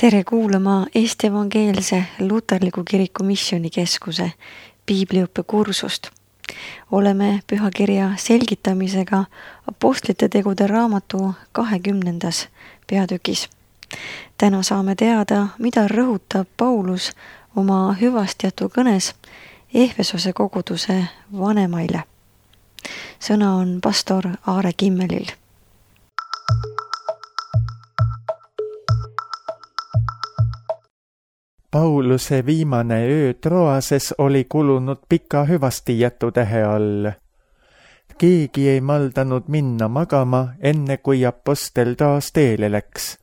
Tere kuulama Eesti Evangeelse Luterliku Kiriku Missioonikeskuse piibliõppe kursust. Oleme pühakirja selgitamisega Apostlite tegude raamatu 20. peatükis. Täna saame teada, mida rõhutab Paulus oma hüvastijätu kõnes Ehvesose koguduse vanemaile. Sõna on pastor Aare Kimmelil. Pauluse viimane öö Troases oli kulunud pika hüvastijätutähe all. Keegi ei maldanud minna magama, enne kui apostel taas teele läks.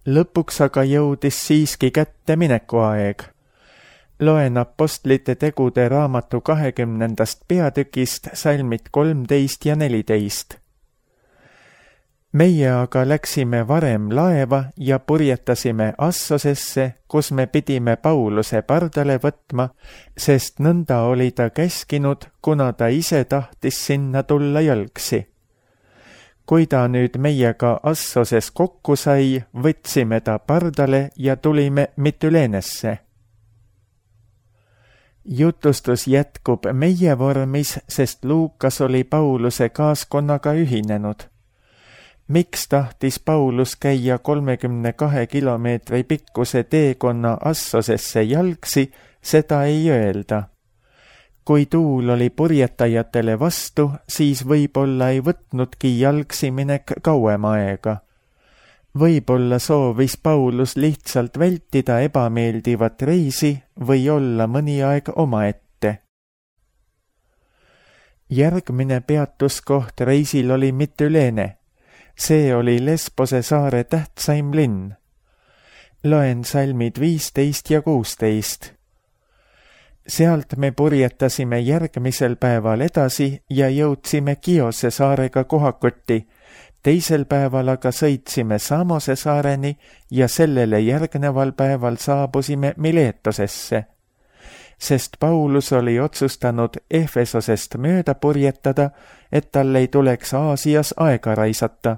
Lõpuks aga jõudis siiski kätte minekuaeg. Loen Apostlite tegude raamatu 20. peatükist salmid 13 ja 14. Meie aga läksime varem laeva ja purjetasime Assosesse, kus me pidime Pauluse pardale võtma, sest nõnda oli ta käskinud, kuna ta ise tahtis sinna tulla jalgsi. Kui ta nüüd meiega Assoses kokku sai, võtsime ta pardale ja tulime Mityleenesse. Jutustus jätkub meie vormis, sest Luukas oli Pauluse kaaskonnaga ühinenud. Miks tahtis Paulus käia 32 kilomeetri pikkuse teekonna Assosesse jalgsi, seda ei öelda. Kui tuul oli purjetajatele vastu, siis võib-olla ei võtnudki jalgsi minek kauem aega. Võib-olla soovis Paulus lihtsalt vältida ebameeldivat reisi või olla mõni aeg omaette. Järgmine peatuskoht reisil oli Mityleene. See oli Lesbose saare tähtsaim linn. Loen salmid 15 ja 16. Sealt me purjetasime järgmisel päeval edasi ja jõudsime Kiose saarega kohakotti. Teisel päeval aga sõitsime Samose saareni ja sellele järgneval päeval saabusime Miletosesse. Sest Paulus oli otsustanud Ehvesosest mööda purjetada, et tal ei tuleks Aasias aega raisata.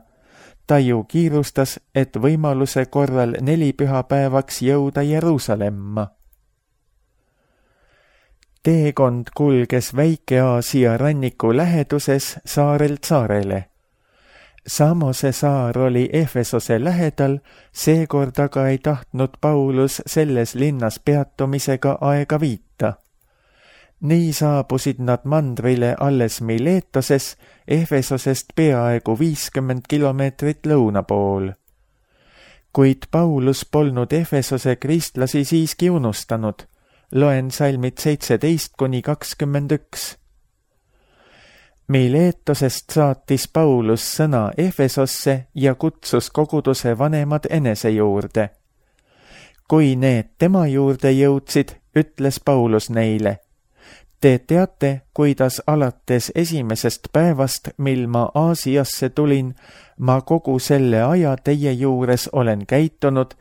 Ta ju kiirustas, et võimaluse korral 4 pühapäevaks jõuda Jeruusalemma. Teekond kulges Väike-Aasia ranniku läheduses saarelt saarele. Samose saar oli Ehvesose lähedal, seekord aga ei tahtnud Paulus selles linnas peatumisega aega viita. Nii saabusid nad mandrile alles Miletoses, Ehvesosest peaaegu 50 kilomeetrit lõuna pool. Kuid Paulus polnud Ehvesose kristlasi siiski unustanud. Loen salmid 17-21. Miletosest saatis Paulus sõna Ehvesosse ja kutsus koguduse vanemad enese juurde. Kui need tema juurde jõudsid, ütles Paulus neile: Te teate, kuidas alates esimesest päevast, mil ma Aasiasse tulin, ma kogu selle aja teie juures olen käitunud,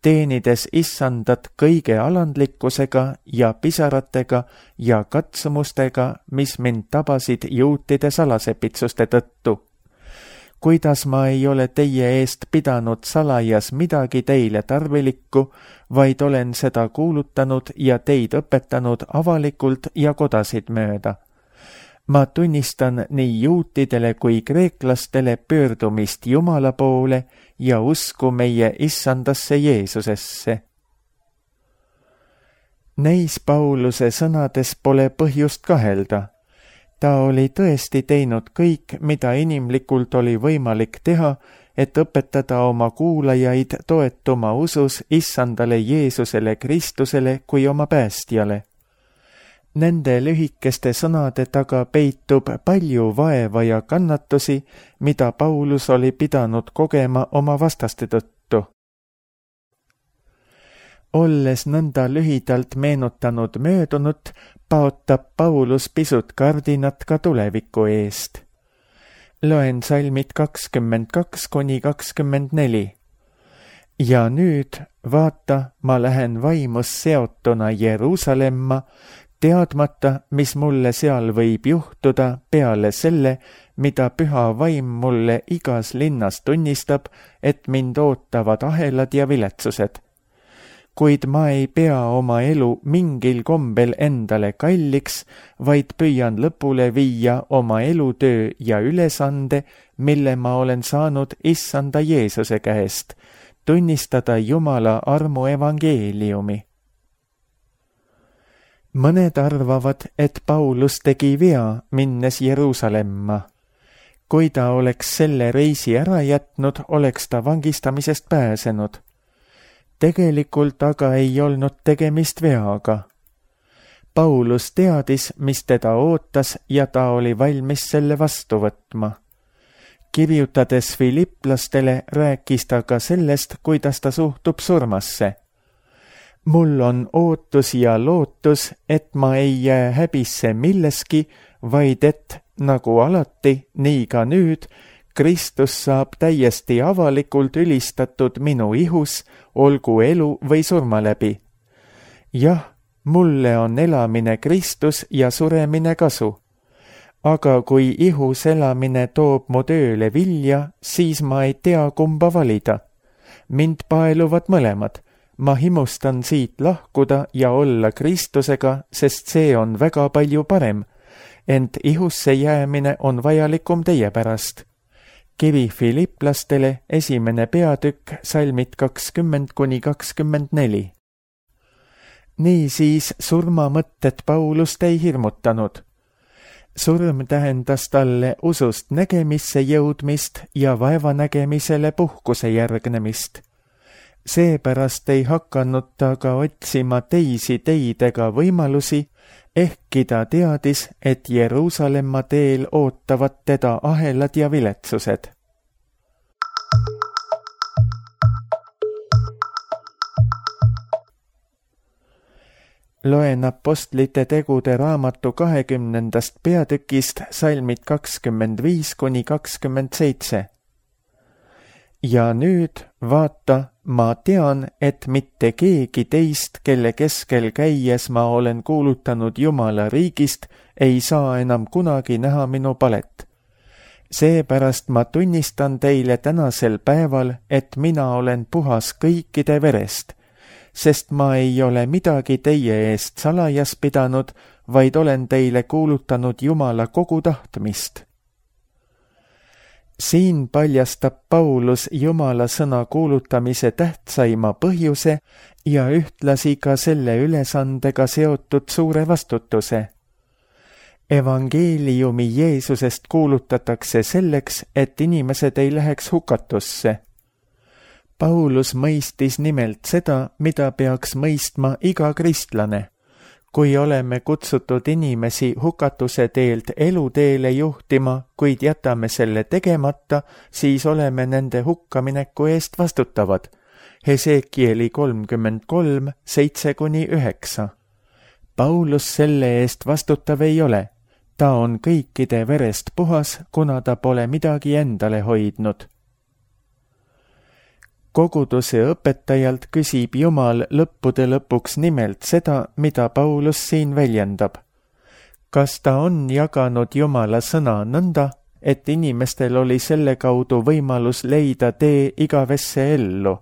teenides issandat kõige alandlikkusega ja pisaratega ja katsumustega, mis mind tabasid juutide salasepitsuste tõttu. Kuidas ma ei ole teie eest pidanud salajas midagi teile tarvilikku, vaid olen seda kuulutanud ja teid õpetanud avalikult ja kodasid mööda. Ma tunnistan nii juutidele kui kreeklastele pöördumist Jumala poole ja usku meie issandasse Jeesusesse. Neis Pauluse sõnades pole põhjust kahelda. Ta oli tõesti teinud kõik, mida inimlikult oli võimalik teha, et õpetada oma kuulajaid toetuma usus issandale Jeesusele Kristusele kui oma päästjale. Nende lühikeste sõnade taga peitub palju vaeva ja kannatusi, mida Paulus oli pidanud kogema oma vastaste tõttu. Olles nõnda lühidalt meenutanud möödunut, paotab Paulus pisut kardinat ka tuleviku eest. Loen salmid 22-24. Ja nüüd, vaata, ma lähen vaimus seotuna Jeruusalemma, teadmata, mis mulle seal võib juhtuda peale selle, mida püha vaim mulle igas linnas tunnistab, et mind ootavad ahelad ja viletsused. Kuid ma ei pea oma elu mingil kombel endale kalliks, vaid püüan lõpule viia oma elutöö ja ülesande, mille ma olen saanud Issanda Jeesuse käest, tunnistada Jumala armu evangeeliumi. Mõned arvavad, et Paulus tegi vea, minnes Jeruusalemma. Kui ta oleks selle reisi ära jätnud, oleks ta vangistamisest pääsenud. Tegelikult aga ei olnud tegemist veaga. Paulus teadis, mis teda ootas ja ta oli valmis selle vastu võtma. Kirjutades Filiplastele rääkis ta ka sellest, kuidas ta suhtub surmasse. Mul on ootus ja lootus, et ma ei jää häbisse milleski, vaid et, nagu alati, nii ka nüüd, Kristus saab täiesti avalikult ülistatud minu ihus, olgu elu või surma läbi. Jah, mulle on elamine Kristus ja suremine kasu. Aga kui ihus elamine toob mu tööle vilja, siis ma ei tea, kumba valida. Mind paeluvad mõlemad. Ma himustan siit lahkuda ja olla Kristusega, sest see on väga palju parem. Ent ihusse jäämine on vajalikum teie pärast. Kiri Filiplastele 1. peatükk, salmid 20–24. Niisiis surmamõtted Paulust ei hirmutanud. Surm tähendas talle usust nägemisse jõudmist ja vaevanägemisele puhkuse järgnemist. Seepärast ei hakanud ta ka otsima teisi teid ega võimalusi, ehkki ta teadis, et Jeruusalemma teel ootavad teda ahelad ja viletsused. Loen Apostlite tegude raamatu 20. peatükist salmid 25–27. Ja nüüd, vaata, ma tean, et mitte keegi teist, kelle keskel käies ma olen kuulutanud Jumala riigist, ei saa enam kunagi näha minu palet. Seepärast ma tunnistan teile tänasel päeval, et mina olen puhas kõikide verest, sest ma ei ole midagi teie eest salajas pidanud, vaid olen teile kuulutanud Jumala kogu tahtmist. Siin paljastab Paulus Jumala sõna kuulutamise tähtsaima põhjuse ja ühtlasi ka selle ülesandega seotud suure vastutuse. Evangeeliumi Jeesusest kuulutatakse selleks, et inimesed ei läheks hukatusse. Paulus mõistis nimelt seda, mida peaks mõistma iga kristlane. Kui oleme kutsutud inimesi hukatuse teelt eluteele juhtima, kuid jätame selle tegemata, siis oleme nende hukkamineku eest vastutavad. Hesekieli 33, 7–9. Paulus selle eest vastutav ei ole. Ta on kõikide verest puhas, kuna ta pole midagi endale hoidnud. Koguduse õpetajalt küsib Jumal lõppude lõpuks nimelt seda, mida Paulus siin väljendab. Kas ta on jaganud Jumala sõna nõnda, et inimestel oli selle kaudu võimalus leida tee igavesse ellu?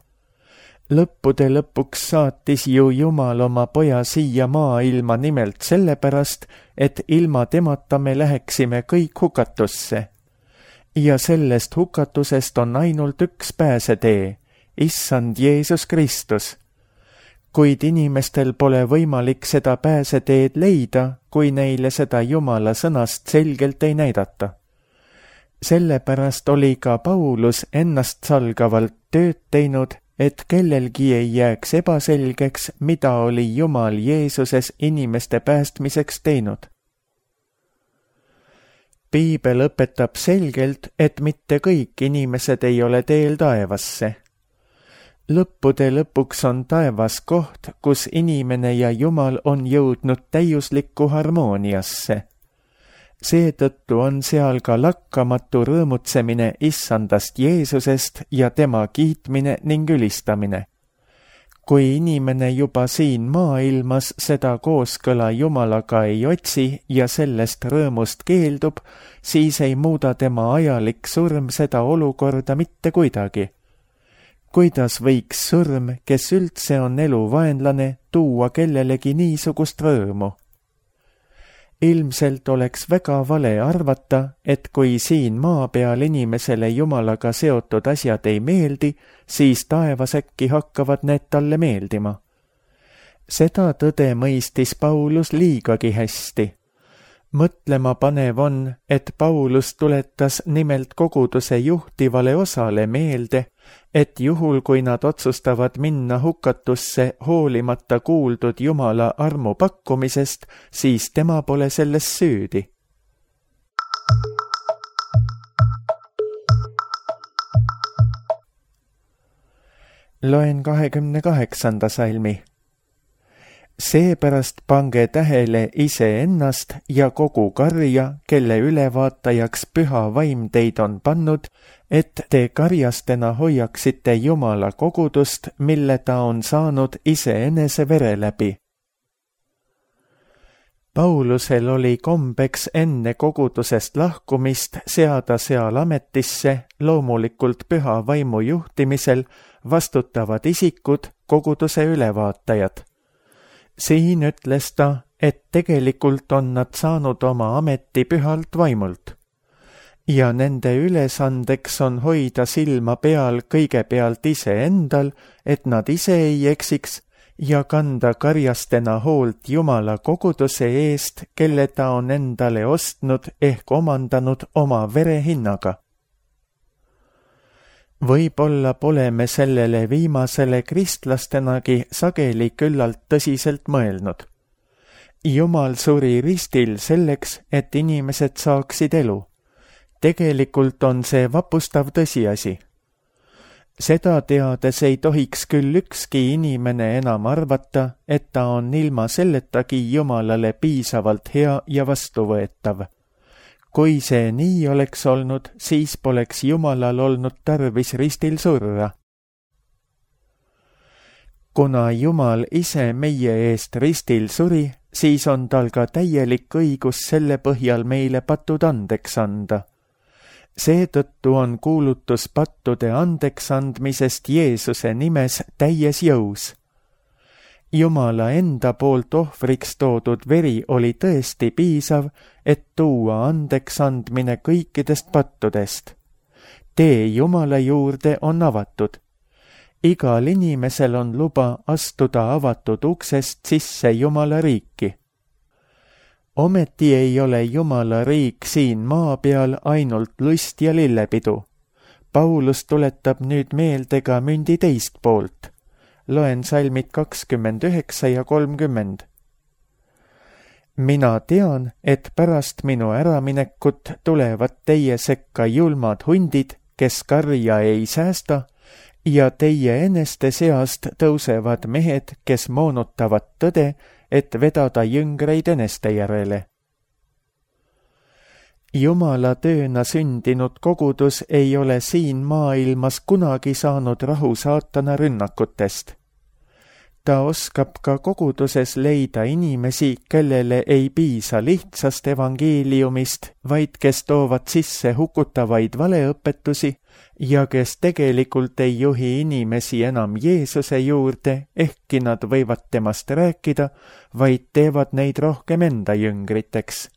Lõppude lõpuks saatis ju Jumal oma poja siia maailma nimelt sellepärast, et ilma temata me läheksime kõik hukatusse. Ja sellest hukatusest on ainult üks pääsetee. Issand Jeesus Kristus. Kuid inimestel pole võimalik seda pääseteed leida, kui neile seda Jumala sõnast selgelt ei näidata. Sellepärast oli ka Paulus ennast salgavalt tööd teinud, et kellelgi ei jääks ebaselgeks, mida oli Jumal Jeesuses inimeste päästmiseks teinud. Piibel õpetab selgelt, et mitte kõik inimesed ei ole teel taevasse. Lõppude lõpuks on taevas koht, kus inimene ja Jumal on jõudnud täiuslikku harmooniasse. Seetõttu on seal ka lakkamatu rõõmutsemine Issandast Jeesusest ja tema kiitmine ning ülistamine. kui inimene juba siin maailmas seda kooskõla Jumalaga ei otsi ja sellest rõõmust keeldub, siis ei muuda tema ajalik surm seda olukorda mitte kuidagi. Kuidas võiks surm, kes üldse on elu vaenlane, tuua kellelegi niisugust rõõmu? Ilmselt oleks väga vale arvata, et kui siin maa peal inimesele Jumalaga seotud asjad ei meeldi, siis taevas äkki hakkavad need talle meeldima. Seda tõde mõistis Paulus liigagi hästi. Mõtlema panev on, et Paulus tuletas nimelt koguduse juhtivale osale meelde, et juhul, kui nad otsustavad minna hukatusse hoolimata kuuldud Jumala armu pakkumisest, siis tema pole selles süüdi. Loen 28. salmi. Seepärast pange tähele iseennast ja kogu karja, kelle ülevaatajaks püha vaim teid on pannud, et te karjastena hoiaksite Jumala kogudust, mille ta on saanud iseenese vere läbi. Paulusel oli kombeks enne kogudusest lahkumist seada seal ametisse, loomulikult püha vaimu juhtimisel, vastutavad isikud, koguduse ülevaatajad. Siin ütles ta, et tegelikult on nad saanud oma ameti pühalt vaimult. Ja nende ülesandeks on hoida silma peal kõigepealt iseendal, et nad ise ei eksiks, ja kanda karjastena hoolt Jumala koguduse eest, kelle ta on endale ostnud ehk omandanud oma verehinnaga. Võib-olla pole me sellele viimasele kristlastenagi sageli küllalt tõsiselt mõelnud. Jumal suri ristil selleks, et inimesed saaksid elu. Tegelikult on see vapustav tõsiasi. Seda teades ei tohiks küll ükski inimene enam arvata, et ta on ilma selletagi Jumalale piisavalt hea ja vastuvõetav. Kui see nii oleks olnud, siis poleks Jumalal olnud tarvis ristil surra. Kuna Jumal ise meie eest ristil suri, siis on tal ka täielik õigus selle põhjal meile patud andeks anda. Seetõttu on kuulutus pattude andeks andmisest Jeesuse nimes täies jõus. Jumala enda poolt ohvriks toodud veri oli tõesti piisav, et tuua andeks andmine kõikidest pattudest. Tee Jumala juurde on avatud. Igal inimesel on luba astuda avatud uksest sisse Jumala riiki. Ometi ei ole Jumala riik siin maa peal ainult lust ja lillepidu. Paulus tuletab nüüd meelde ka mündi teist poolt. Loen salmid 29 ja 30. Mina tean, et pärast minu äraminekut tulevad teie sekka julmad hundid, kes karja ei säästa, ja teie eneste seast tõusevad mehed, kes moonutavad tõde, et vedada jüngreid eneste järele. Jumala tööna sündinud kogudus ei ole siin maailmas kunagi saanud rahu saatana rünnakutest. Ta oskab ka koguduses leida inimesi, kellele ei piisa lihtsast evangeeliumist, vaid kes toovad sisse hukutavaid valeõpetusi ja kes tegelikult ei juhi inimesi enam Jeesuse juurde, ehkki nad võivad temast rääkida, vaid teevad neid rohkem enda jüngriteks.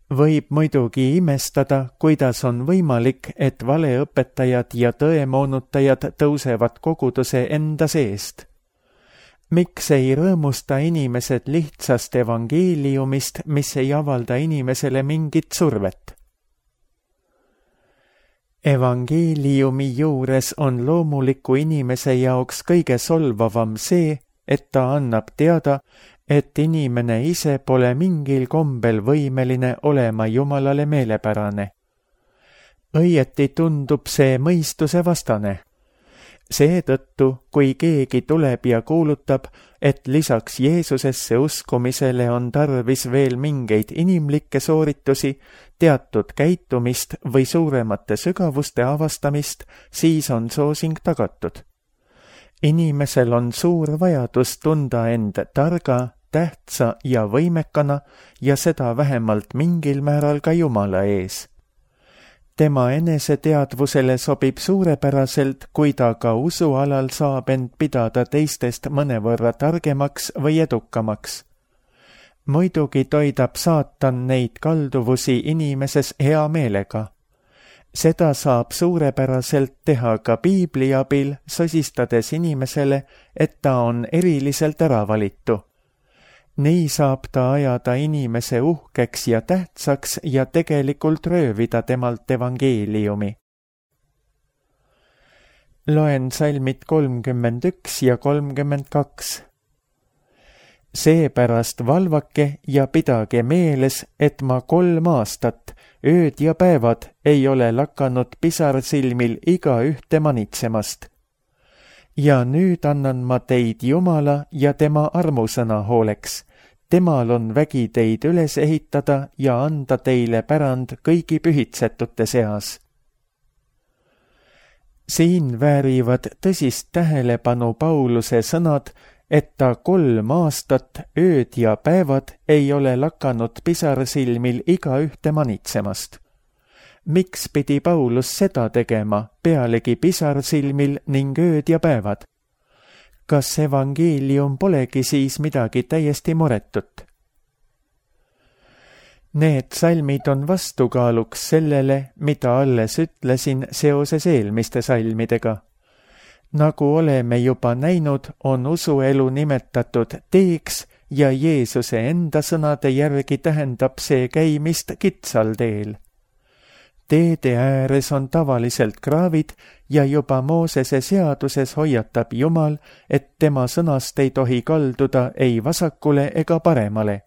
Võib muidugi imestada, kuidas on võimalik, et valeõpetajad ja tõemoonutajad tõusevad koguduse enda seest. Miks ei rõõmusta inimesed lihtsast evangeeliumist, mis ei avalda inimesele mingit survet? Evangeeliumi juures on loomuliku inimese jaoks kõige solvavam see, et ta annab teada, et inimene ise pole mingil kombel võimeline olema Jumalale meelepärane. Õieti tundub see mõistuse vastane. Seetõttu, kui keegi tuleb ja kuulutab, et lisaks Jeesusesse uskumisele on tarvis veel mingeid inimlikke sooritusi, teatud käitumist või suuremate sügavuste avastamist, siis on soosing tagatud. inimesel on suur vajadus tunda end targa, tähtsa ja võimekana ja seda vähemalt mingil määral ka Jumala ees. Tema eneseteadvusele sobib suurepäraselt, kui ta ka usualal saab end pidada teistest mõnevõrra targemaks või edukamaks. Muidugi toidab saatan neid kalduvusi inimeses hea meelega. Seda saab suurepäraselt teha ka piibli abil, sosistades inimesele, et ta on eriliselt äravalitu. Nii saab ta ajada inimese uhkeks ja tähtsaks ja tegelikult röövida temalt evangeeliumi. Loen salmid 31 ja 32. Seepärast valvake ja pidage meeles, et ma 3 aastat, ööd ja päevad ei ole lakanud pisarsilmil igaühte manitsemast. Ja nüüd annan ma teid Jumala ja tema armusõna hooleks. Temal on vägi teid üles ehitada ja anda teile pärand kõigi pühitsetute seas. Siin väärivad tõsist tähelepanu Pauluse sõnad, et ta 3 aastat, ööd ja päevad ei ole lakanud pisarsilmil igaühte manitsemast. Miks pidi Paulus seda tegema, pealegi pisarsilmil ning ööd ja päevad? Kas evangeelium polegi siis midagi täiesti muretut? Need salmid on vastukaaluks sellele, mida alles ütlesin seoses eelmiste salmidega. Nagu oleme juba näinud, on usuelu nimetatud teeks ja Jeesuse enda sõnade järgi tähendab see käimist kitsal teel. Teede ääres on tavaliselt kraavid ja juba Moosese seaduses hoiatab Jumal, et tema sõnast ei tohi kalduda ei vasakule ega paremale.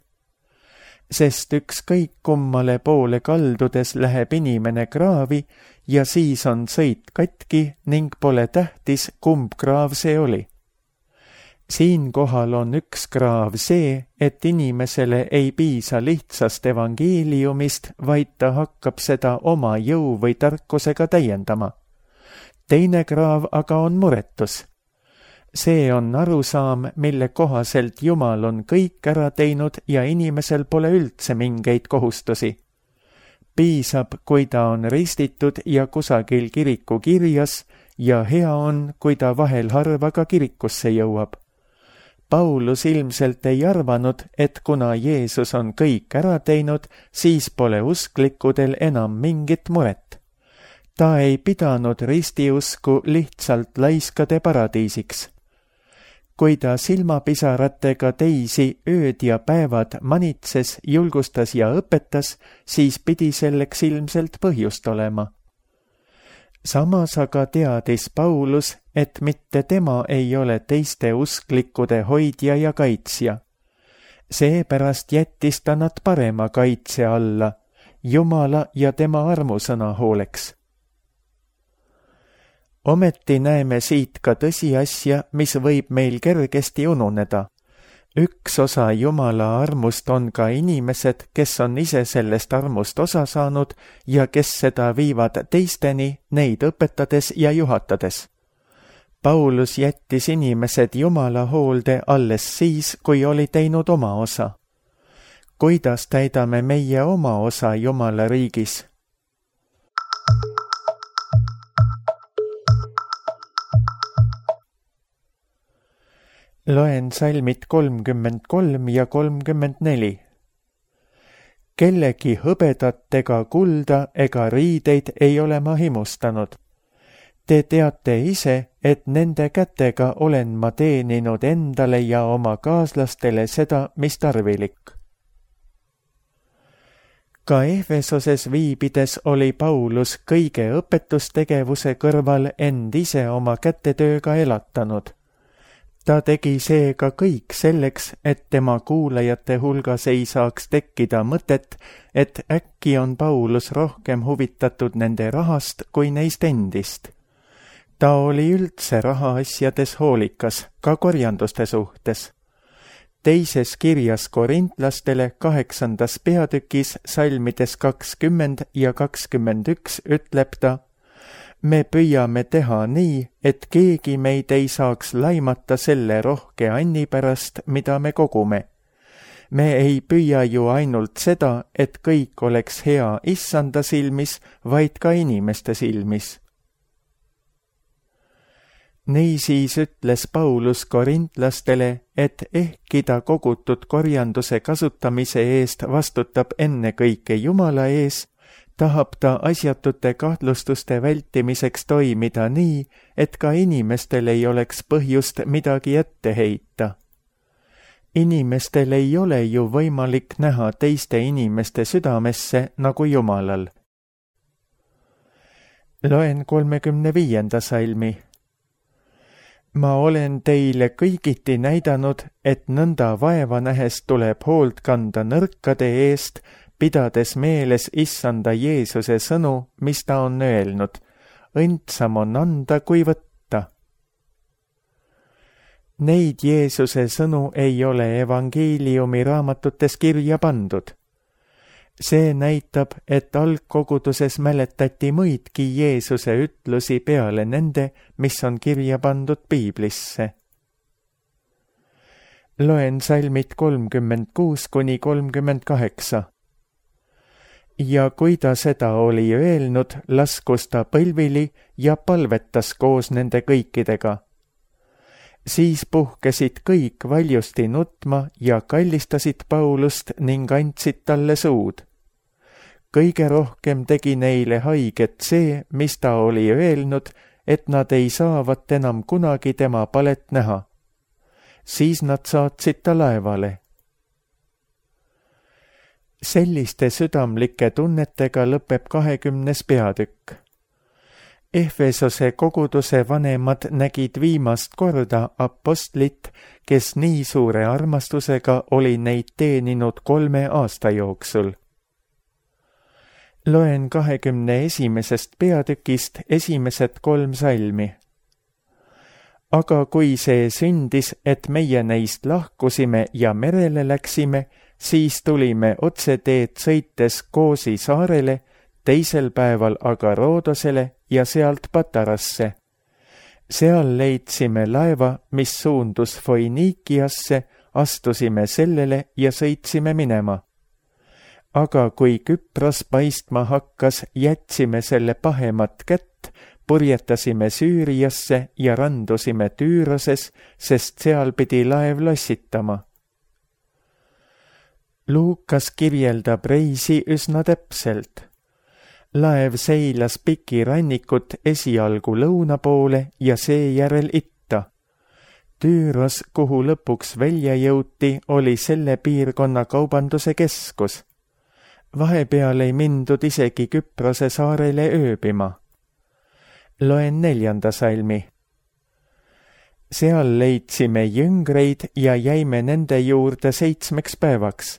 Sest ükskõik kummale poole kaldudes läheb inimene kraavi ja siis on sõit katki ning pole tähtis, kumb kraav see oli. Siinkohal on üks kraav see, et inimesele ei piisa lihtsast evangeeliumist, vaid ta hakkab seda oma jõu või tarkusega täiendama. Teine kraav aga on muretus. See on arusaam, mille kohaselt Jumal on kõik ära teinud ja inimesel pole üldse mingeid kohustusi. Piisab, kui ta on ristitud ja kusagil kiriku kirjas ja hea on, kui ta vahel harva ka kirikusse jõuab. Paulus ilmselt ei arvanud, et kuna Jeesus on kõik ära teinud, siis pole usklikudel enam mingit muret. Ta ei pidanud ristiusku lihtsalt laiskade paradiisiks. Kui ta silmapisaratega teisi ööd ja päevad manitses, julgustas ja õpetas, siis pidi selleks ilmselt põhjust olema. Samas aga teadis Paulus, et mitte tema ei ole teiste usklikkude hoidja ja kaitsja. Seepärast jättis ta nad parema kaitse alla, Jumala ja tema armusõna hooleks. Ometi näeme siit ka tõsiasja, mis võib meil kergesti ununeda. Üks osa Jumala armust on ka inimesed, kes on ise sellest armust osa saanud ja kes seda viivad teisteni, neid õpetades ja juhatades. Paulus jättis inimesed Jumala hoolde alles siis, kui oli teinud oma osa. Kuidas täidame meie oma osa Jumala riigis? Loen salmid 33 ja 34. Kellegi hõbedat ega kulda ega riideid ei ole ma himustanud. Te teate ise, et nende kätega olen ma teeninud endale ja oma kaaslastele seda, mis tarvilik. Ka Efesoses viibides oli Paulus kõige õpetustegevuse kõrval end ise oma kätetööga elatanud. Ta tegi seega kõik selleks, et tema kuulajate hulgas ei saaks tekkida mõtet, et äkki on Paulus rohkem huvitatud nende rahast kui neist endist. Ta oli üldse rahaasjades hoolikas, ka korjanduste suhtes. Teises kirjas korintlastele 8. peatükis salmides 20 ja 21 ütleb ta: Me püüame teha nii, et keegi meid ei saaks laimata selle rohke anni pärast, mida me kogume. Me ei püüa ju ainult seda, et kõik oleks hea Issanda silmis, vaid ka inimeste silmis. Niisiis ütles Paulus korintlastele, et ehkki ta kogutud korjanduse kasutamise eest vastutab ennekõike Jumala ees, tahab ta asjatute kahtlustuste vältimiseks toimida nii, et ka inimestel ei oleks põhjust midagi ette heita. Inimestel ei ole ju võimalik näha teiste inimeste südamesse nagu Jumalal. Loen 35. salmi. Ma olen teile kõigiti näidanud, et nõnda vaeva nähes tuleb hoolt kanda nõrkade eest, pidades meeles Issanda Jeesuse sõnu, mis ta on öelnud. Õndsam on anda kui võtta. Neid Jeesuse sõnu ei ole evangeeliumi raamatutes kirja pandud. See näitab, et algkoguduses mäletati muidki Jeesuse ütlusi peale nende, mis on kirja pandud Piiblisse. Loen salmid 36–38. Ja kui ta seda oli öelnud, laskus ta põlvili ja palvetas koos nende kõikidega. Siis puhkesid kõik valjusti nutma ja kallistasid Paulust ning andsid talle suud. Kõige rohkem tegi neile haiget see, mis ta oli öelnud, et nad ei saavat enam kunagi tema palet näha. Siis nad saatsid ta laevale. Selliste südamlike tunnetega lõpeb 20. peatükk. Efesose koguduse vanemad nägid viimast korda apostlit, kes nii suure armastusega oli neid teeninud 3 aasta jooksul. Loen 21. peatükist esimesed 3 salmi. Aga kui see sündis, et meie neist lahkusime ja merele läksime, siis tulime otseteed sõites Koosi saarele, teisel päeval aga Roodosele ja sealt Patarasse. Seal leidsime laeva, mis suundus Foiniikiasse, astusime sellele ja sõitsime minema. Aga kui Küpros paistma hakkas, jätsime selle pahemat kätt, purjetasime Süüriasse ja randusime Tüüroses, sest seal pidi laev lossitama. Luukas kirjeldab reisi üsna täpselt. Laev seilas pikirannikut esialgu lõuna poole ja seejärel itta. Tüüros, kuhu lõpuks välja jõuti, oli selle piirkonna kaubanduse keskus. Vahepeal ei mindud isegi Küprose saarele ööbima. Loen 4. salmi. Seal leidsime jüngreid ja jäime nende juurde 7 päevaks.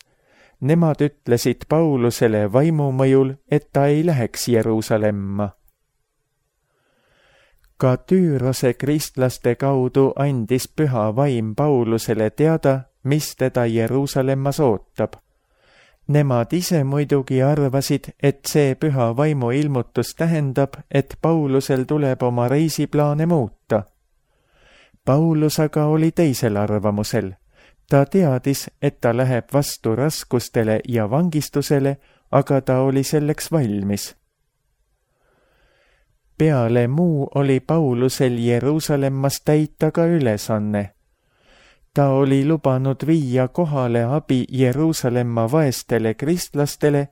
Nemad ütlesid Paulusele vaimumõjul, et ta ei läheks Jeruusalemma. Ka Tüürose kristlaste kaudu andis püha vaim Paulusele teada, mis teda Jeruusalemmas ootab. Nemad ise muidugi arvasid, et see püha vaimu ilmutus tähendab, et Paulusel tuleb oma reisiplaane muuta. Paulus aga oli teisel arvamusel. Ta teadis, et ta läheb vastu raskustele ja vangistusele, aga ta oli selleks valmis. Peale muu oli Paulusel Jeruusalemmas täita ka ülesanne. Ta oli lubanud viia kohale abi Jeruusalemma vaestele kristlastele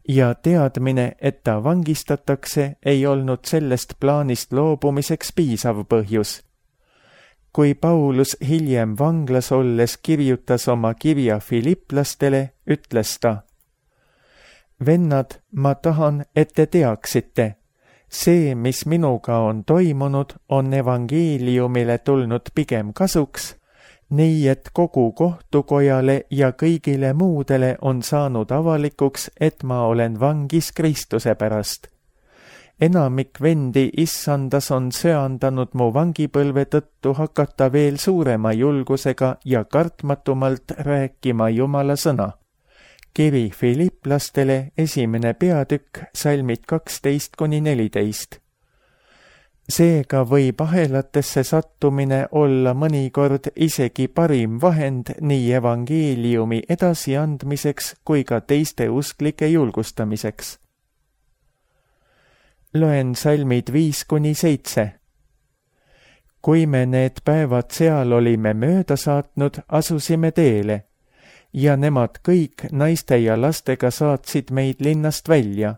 ja teadmine, et ta vangistatakse, ei olnud sellest plaanist loobumiseks piisav põhjus. Kui Paulus hiljem vanglas olles kirjutas oma kirja filiplastele, ütles ta: Vennad, ma tahan, et te teaksite, see, mis minuga on toimunud, on evangeeliumile tulnud pigem kasuks, nii et kogu kohtukojale ja kõigile muudele on saanud avalikuks, et ma olen vangis Kristuse pärast. Enamik vendi Issandas on söandanud mu vangipõlve tõttu hakata veel suurema julgusega ja kartmatumalt rääkima Jumala sõna. Kiri filiplastele 1. peatükk, salmid 12–14. Seega võib ahelatesse sattumine olla mõnikord isegi parim vahend nii evangeeliumi edasiandmiseks kui ka teiste usklike julgustamiseks. Loen salmid 5-7. Kui me need päevad seal olime mööda saatnud, asusime teele ja nemad kõik naiste ja lastega saatsid meid linnast välja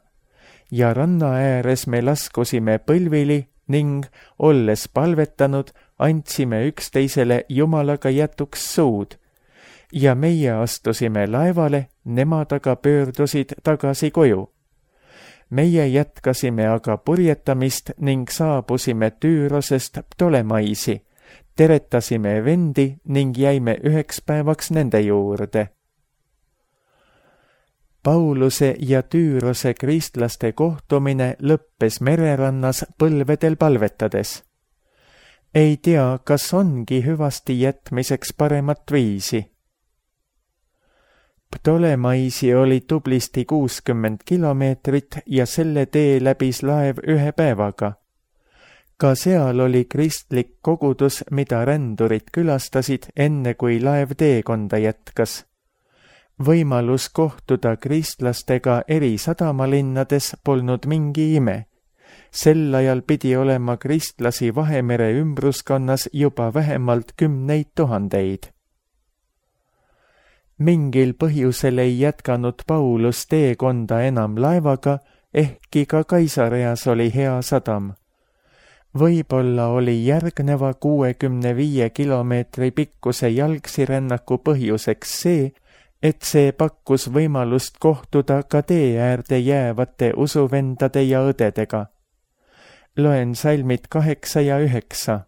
ja ranna ääres me laskusime põlvili ning, olles palvetanud, andsime üksteisele Jumalaga jätuks suud ja meie astusime laevale, nemad aga pöördusid tagasi koju. Meie jätkasime aga purjetamist ning saabusime Tüürosest Ptolemaisi, teretasime vendi ning jäime 1 päevaks nende juurde. Pauluse ja Tüürose kristlaste kohtumine lõppes mererannas põlvedel palvetades. Ei tea, kas ongi hüvasti jätmiseks paremat viisi. Ptolemaisi oli tublisti 60 kilomeetrit ja selle tee läbis laev 1 päevaga. Ka seal oli kristlik kogudus, mida rändurid külastasid enne kui laev teekonda jätkas. Võimalus kohtuda kristlastega eri sadamalinnades polnud mingi ime. Sel ajal pidi olema kristlasi Vahemere ümbruskonnas juba vähemalt 10 000. Mingil põhjusel ei jätkanud Paulus teekonda enam laevaga, ehkki ka Kaisareas oli hea sadam. Võib-olla oli järgneva 65 kilomeetri pikkuse jalgsirännaku põhjuseks see, et see pakkus võimalust kohtuda ka tee äärde jäävate usuvendade ja õdedega. Loen salmid 8 ja 9.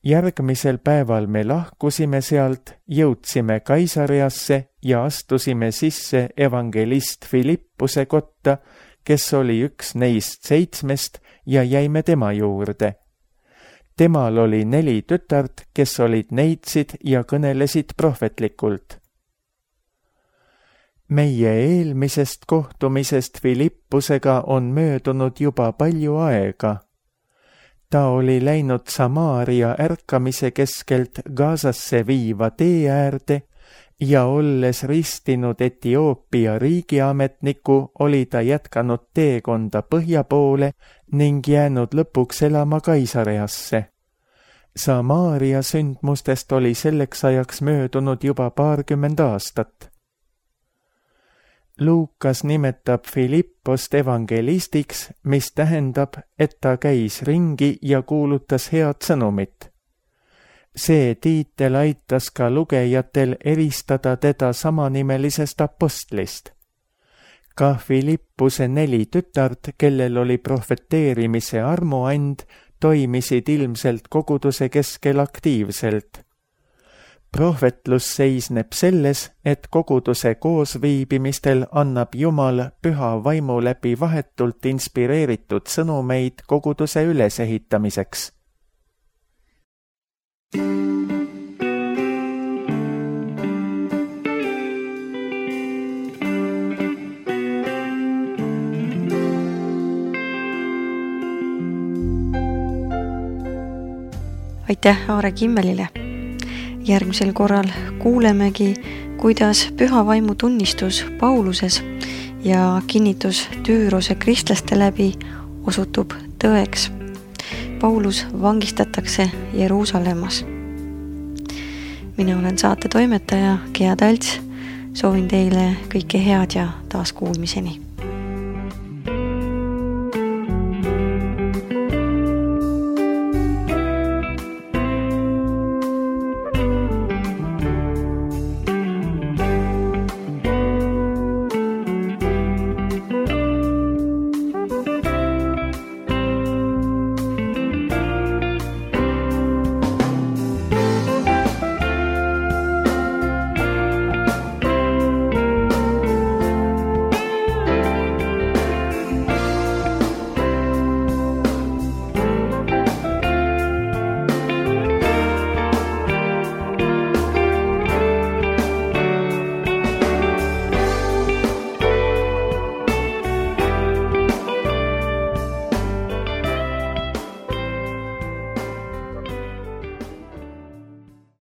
Järgmisel päeval me lahkusime sealt, jõudsime Kaisareasse ja astusime sisse evangelist Filippuse kotta, kes oli üks neist 7 ja jäime tema juurde. Temal oli 4 tütart, kes olid neitsid ja kõnelesid prohvetlikult. Meie eelmisest kohtumisest Filippusega on möödunud juba palju aega. Ta oli läinud Samaaria ärkamise keskelt Gazasse viiva tee äärde ja olles ristinud Etioopia riigiametniku, oli ta jätkanud teekonda põhja poole ning jäänud lõpuks elama Kaisareasse. Samaaria sündmustest oli selleks ajaks möödunud juba 20 aastat. Luukas nimetab Filippost evangelistiks, mis tähendab, et ta käis ringi ja kuulutas head sõnumit. See tiitel aitas ka lugejatel eristada teda samanimelisest apostlist. Ka Filippuse 4 tütart, kellel oli prohveteerimise armuand, toimisid ilmselt koguduse keskel aktiivselt. Prohvetlus seisneb selles, et koguduse koosviibimistel annab Jumal püha vaimu läbi vahetult inspireeritud sõnumeid koguduse ülesehitamiseks. Aitäh Aare Kimmelile! Järgmisel korral kuulemegi, kuidas püha vaimu tunnistus Pauluses ja kinnitus Tüürose kristlaste läbi osutub tõeks. Paulus vangistatakse Jeruusalemmas. Mina olen saate toimetaja Gea Talts. Soovin teile kõike head ja taas kuulmiseni.